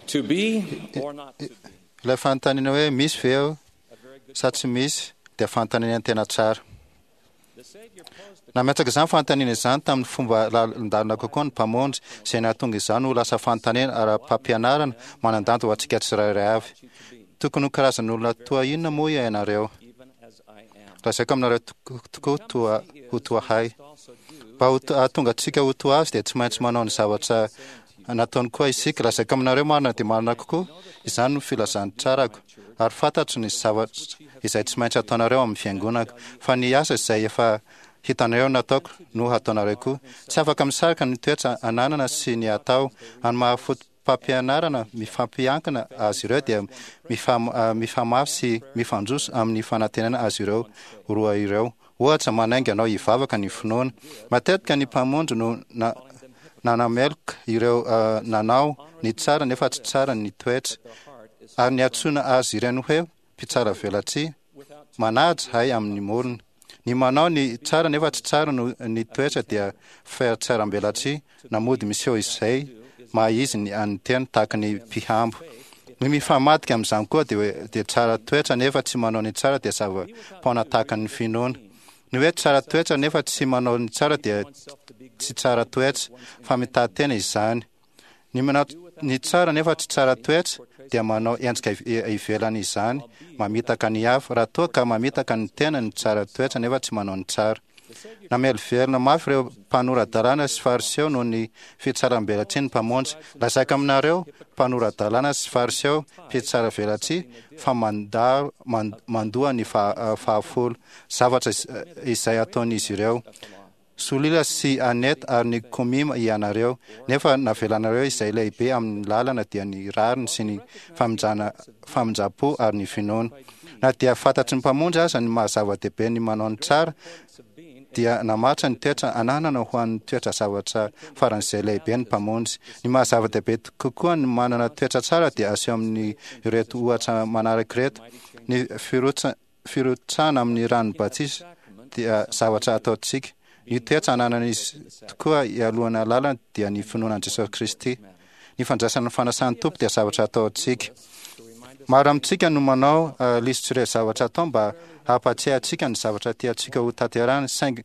To be or not to be. Ilay fanontaniana hoe misy ve aho sa tsy misy dia fanontaniana tena tsara. The Savior posed the Nametraka izany fanontaniana izany tamin'ny fomba lalindalina kokoa ny Mpamonjy, izay nahatonga izany ho lasa fanontaniana ara-pampianarana manan-danja ho antsika tsirairay avy. you to be, Tokony ho karazan'olona toa inona moa ianareo? even as I am. Lazaiko aminareo tokoa toa ho toa hay. Also do Mba ho hahatonga antsika ho toa azy dia tsy maintsy manao ny zavatra nataony koa isika. Lazaiko aminareo marina dia marina kokoa, izany no filazantsarako, ary fantatro ny zavatra izay tsy maintsy ataonareo amin'ny fiangonako, fa ny asa izay efa hitanareo nataoko no hataonareo koa. Tsy afaka misaraka ny toetra ananana sy ny atao. Amin'ny maha fotopampianarana mifampiankina azy ireo dia mifamafy sy mifandroso amin'ny fanantenana azy ireo roa ireo. Ohatra, manainga anao hivavaka ny finoana. Matetika ny Mpamonjy no na, nanameloka ireo nanao ny tsara nefa tsy tsara ny toetra, ary niantsoana azy ireny hoe mpitsara velatsihy, manaja hay amin'ny morona. Ny manao ny tsara nefa tsy tsara no ny toetra dia fihatsarambelatsihy, na mody miseho izay maha izy ny an'ny tena tahaka ny mpihambo. Ny mifamadika amin'izany koa dia hoe dia tsara toetra nefa tsy manao ny tsara dia zava-poana tahaka ny finoana. Ny hoe tsara toetra nefa tsy manao ny tsara dia tsy tsara toetra fa mitaha tena izany. Ny manao ny tsara nefa tsy tsara toetra dia manao endrika ivelany izany, mamitaka ny hafa, raha toa ka mamitaka ny tena ny tsara toetra nefa tsy manao ny tsara. Namelovelona mafy ireo mpanora-dalàna sy Fariseo noho ny fitsaram-belatsihy ny Mpamonjy. Lazaiko aminareo, mpanora-dalàna sy Fariseo, mpitsara-velatsihy, fa mandà mandoa ny fahafolo, zavatra izay ataon'izy ireo. Solila sy Annette ary ny Komima ianareo, nefa navelanareo izay lehibe amin'ny lalana dia ny rariny sy ny famindrana famindram-po ary ny finoana. Na dia fantatry ny Mpamonjy aza ny maha zava-dehibe ny manao ny tsara, dia namaritra ny toetra ananana ho an'ny toetra zavatra faran'izay lehibe ny Mpamonjy. Ny maha zava-dehibe kokoa ny manana toetra tsara dia aseho amin'ny ireto ohatra manaraka ireto, ny firotsahana amin'ny ranon'ny batisa dia zavatra ataontsika. Ny toetra ananan'izy tokoa ialohan'ny alalana dia ny finoana an'i Jesosy Kristy. Ny fandraisana ny fanasan'ny Tompo dia zavatra ataontsika. Maro amintsika no manao lisitr'ireo zavatra atao mba hampatsiahy antsika ny zavatra tiantsika ho tanterahina, saingy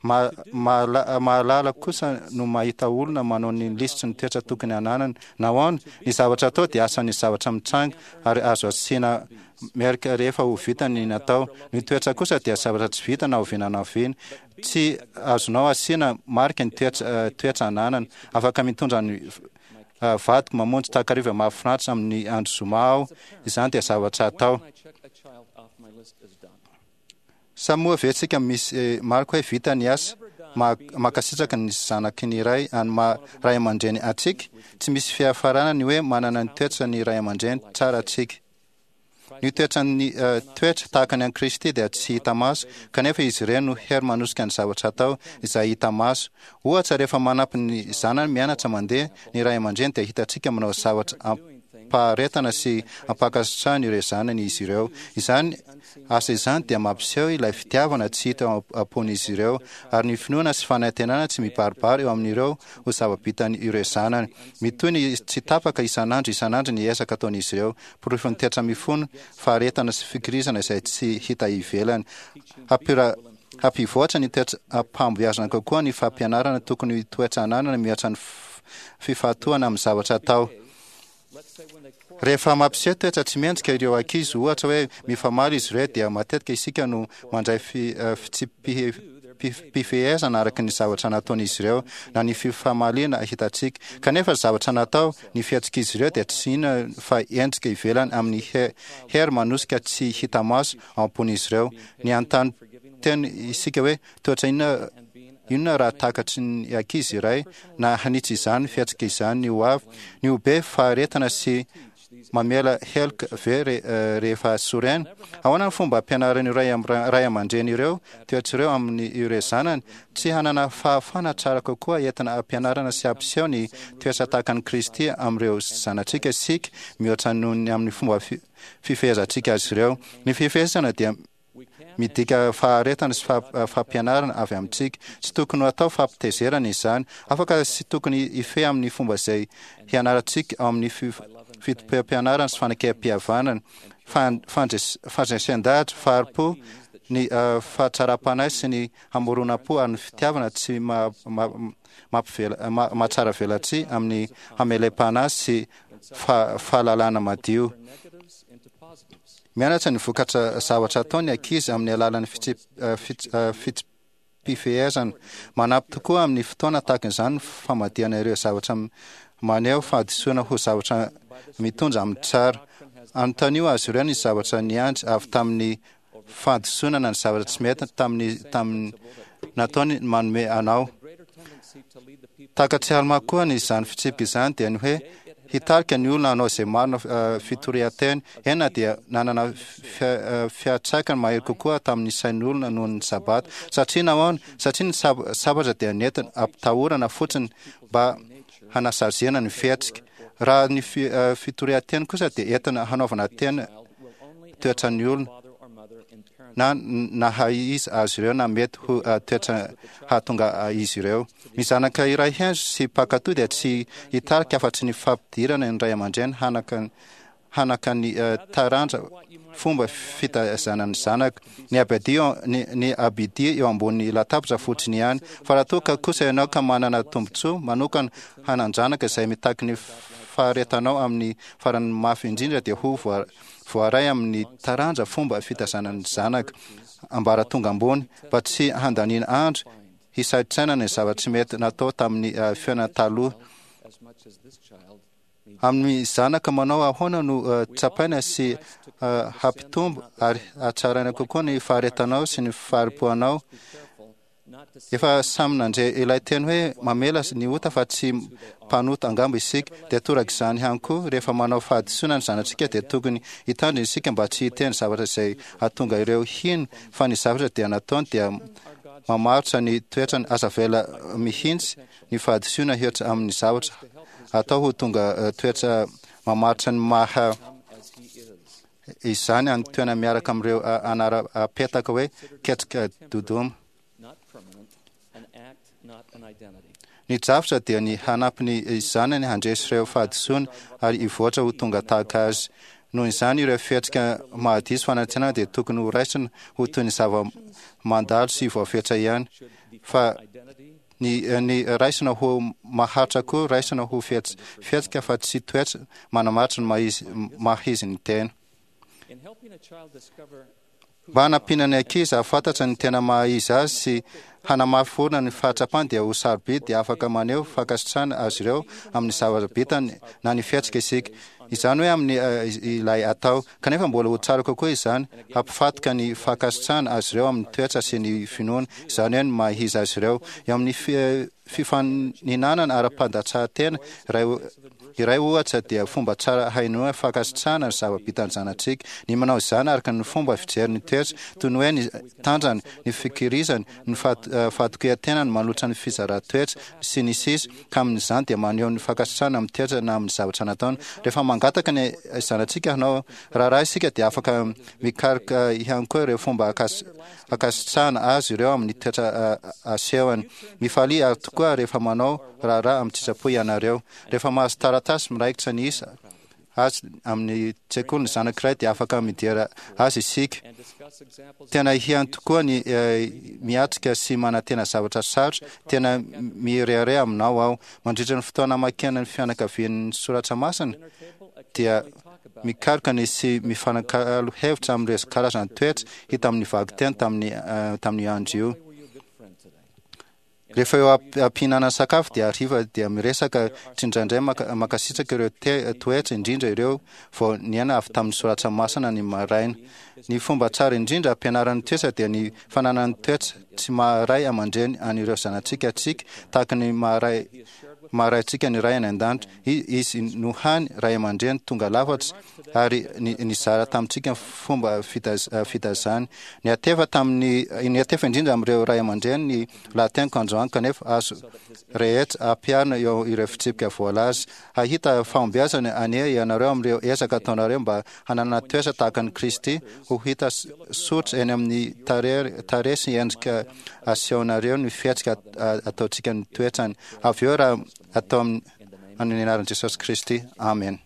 Mahalala kosa no mahita olona manao ny lisitry ny toetra tokony hananany. Nahoana? Ny zavatra atao dia asan'ny zavatra mitranga ary azo asiana merika rehefa ho vita ny natao. Ny toetra kosa dia zavatra tsy vita na oviana na oviana. Tsy azonao asiana marika ny toetra ananana. Afaka mitondra ny vadiko mamonjy takariva mahafinaritra amin'ny andro zoma aho. Izany dia zavatra atao. Sa moa ve tsika misy marika hoe vita ny asa? Mankasitraka ny zanaky ny ray any maha ray aman-dreny antsika? Tsy misy fiafarana ny hoe manana ny toetra ny ray aman-dreny tsara antsika. Ny toetran'ny toetra tahaka ny an'i Kristy dia tsy hita maso, kanefa izy ireny no hery manosika ny zavatra atao izay hita maso. Ohatra, rehefa manampy ny zanany mianatra mandeha ny ray aman-dreny dia hitantsika manao zavatra am-paharetana sy am-pankasitrahana ireo zanany izy ireo. Izany Asa izany dia mampiseho ilay fitiavana tsy hita ao am-pon'izy ireo, ary ny finoana sy fanantenana tsy mibaribary eo amin'ireo ho zava-bitan' ireo zanany. Mitohy ny tsy tapaka isan'andro isan'andro ny ezaka ataon'izy ireo, porofon'ny toetra mifono faharetana sy fikirizana izay tsy hita ivelany. Hampivoatra ny toetra am-pahombiazana kokoa ny fampianarana tokony ho toetra ananana mihoatra ny fifantohana amin'ny zavatra atao. Rehefa mampiseho toetra tsy mendrika ireo ankizy, ohatra hoe mifamaly izy ireo, dia matetika isika no mandray fitsipi-pifehezana araka ny zavatra nataon'izy ireo na ny fifamaliana hitantsika. Kanefa ny zavatra natao, ny fihetsik'izy ireo dia tsy inona fa endrika ivelany amin'ny hery manosika tsy hita maso ao am-pon'izy ireo. Ny hanontany tena isika hoe, Toetra inona inona raha takatry ny ankizy iray na hanitsy izany fihetsika izany ny ho avy? Ny ho be faharetana sy mamela heloka ve rehefa sorena? Ahoana ny fomba ampianaran'ireo ray ray aman-dreny ireo toetra ireo amin'ny ireo zanany? Tsy hanana fahafahana tsara kokoa entina hampianarana sy hampiseho ny toetra tahaka an'i Kristy amin'ireo zanatsika isika mihoatra noho ny amin'ny fomba fifehezantsika azy ireo. Ny fifehezana dia. midika faharetana sy fampianarana avy amintsika. Tsy tokony ho atao fampitezerana izany. Afaka sy tokony hifehy amin'ny fomba izay hianarantsika ao amin'ny fitopem-pianarana sy fanekempihavanana, fandresen-dahatra, fahari-po, ny fahatsaram-panahy sy ny hamoronam-po ary ny fitiavana tsy mahatsara velatsihy amin'ny hamelem-panahy sy fahalalana madio. Mianatra ny vokatra zavatra atao ny ankizy amin'ny alalan'ny fitsipi-pifehezana. Manampy tokoa amin'ny fotoana tahaka izany ny famadihana ireo zavatra maneho fahadisoana ho zavatra mitondra amin'ny tsara. Anontanio azy ireo ny zavatra niandry avy tamin'ny fahadisoana na ny zavatra tsy mety tamin'ny tamin'ny nataony manome anao. Takatr'i Almà koa ny izany fitsipika izany dia ny hoe hitarika ny olona hanao izay marina fitorian-teny, eny na dia nanana fiantraikany mahery kokoa tamin'ny sain'ny olona noho ny Sabata. Satria nahoana? Satria ny sabatra dia nentina ampitahorana fotsiny mba hanasaziana ny fihetsika. Raha ny fitorian-teny kosa dia entina hanaovana teny toetran'ny olona na naha izy azy ireo na mety ho toetra hahatonga izy ireo. Ny zanaka iray hendry sy mpankatò dia tsy hitarika afa-tsy ny fampidirana ny ray aman-dreny hanaka hanaka ny taranja fomba fitaizana ny zanaka. Ny abidia ny, ny abidia eo ambony latabatra fotsiny ihany. Fa raha toa ka kosa ianao ka manana tombontsoa manokana hanan-janaka izay mitaky ny faharetanao amin'ny farany mafy indrindra dia ho voaray amin'ny taranja fomba fitaizana ny zanaka ambaratonga ambony mba tsy handaniana andro hisaintsainana ny zava-tsy mety natao tamin'ny fiainana taloha. Amin'ny zanaka manao ahoana no tsapaina sy hampitombo ary hatsaraina kokoa ny faharetanao sy ny fahari-poanao? Efa samy nandre ilay teny hoe mamela ny ota fa tsy mpanota angamba isika, dia torak'izany ihany koa rehefa manao fahadisoana ny zanatsika dia tokony hitandrina isika mba tsy hiteny zavatra izay hahatonga ireo hino fa ny zavatra dia nataony dia mamaritra ny toetrany. Aza avela mihitsy ny fahadisoana hihoatra amin'ny zavatra atao ho tonga toetra mamaritra ny maha izany any toerana miaraka amin'ireo anara-petaka hoe ketrika dodoma. Ny drafitra dia ny hanampy ny zanany handresy ireo fahadisoana ary hivoatra ho tonga tahaka azy. Noho izany, ireo fihetsika mahadiso fanantenana dia tokony ho raisina ho toy ny zava-mandalo sy voafetra ihany, fa ny ny raisina ho maharitra koa raisina ho fihetsika fa tsy toetra manamaritra ny maha-izy maha-izy ny tena. Mba hanampiana ny ankizy hahafantatra ny tena maha-izy azy sy hanamafy orina ny fahatsapany dia ho sarobidy dia afaka maneho fankasitrahana azy ireo amin'ny zavatra bitany na ny fihetsika isika. Izany hoe amin'ny ilay atao. Kanefa mbola ho tsara kokoa izany hampifatoka ny fankasitrahana azy ireo amin'ny toetra sy ny finoana, izany hoe ny maha izy azy ireo. Eo amin'ny fifaninanana ara-pandatsahan-tena iray iray ohatra dia fomba tsara hainoana fankasitrahana ny zava-bitan'ny zanatsika ny manao izany araka ny fomba fijery ny toetra, toy ny hoe ny tanjany, ny fikirizany, ny fahatokian-tenany manolotra ny fizaran-toetra, sy ny sisa ka amin'izany dia maneho ny fankasitrahana amin'ny toetra na amin'ny zavatra nataony. Rehefa mangataka ny zanatsika hanao raharaha isika dia afaka mikaroka ihany koa ireo fomba hankasitrahana azy ireo amin'ny toetra asehony. Mifalia ary tokoa rehefa manao raharaha amin-tsitrapo ianareo. Rehefa mahazo taratasy miraikitra ny isa azy amin'ny tsekoly ny zanak'iray dia afaka midera azy isika. Tena ihany tokoa ny miatrika sy manantena zavatra sarotra, tena mirehareha aminao aho. Mandritra ny fotoana hamakiana ny fianakavian'ny soratra masina dia mikaroka ny sy mifanakalo hevitra amin'ireo karazana toetra hita amin'ny vakiteny tamin'ny tamin'io andro io. Rehefa eo am-pihinanana sakafo dia hariva dia miresaka tsindraindray mankasitraka ireo toetra indrindra ireo vao niaina avy tamin'ny soratra masina ny maraina. Ny fomba tsara indrindra ampianarana ny toetra dia ny fananana ny toetra tsy maha ray aman-dreny an'ireo zanatsika antsika tahaka ny maha ray maha Raintsika ny Ray any An-danitra. Izy no hany ray aman-dreny tonga lafatra ary nizara tamintsika ny fomba fitaizany. Niantefa tamin'ny, niantefa indrindra amin'ireo ray aman-dreny ny lahateniko androany kanefa azo rehetra ampiharina eo ireo fitsipika voalaza. Hahita fahombiazana anie ianareo amin'ireo ezaka ataonareo mba hananana toetra tahaka an'i Kristy, ho hita soritra eny amin'ny tarehy sy endrika asehonareo ny fihetsika ataontsika ny toetrany. Avy eo raha atao amin'ny anaran'i Jesosy Kristy. Amena.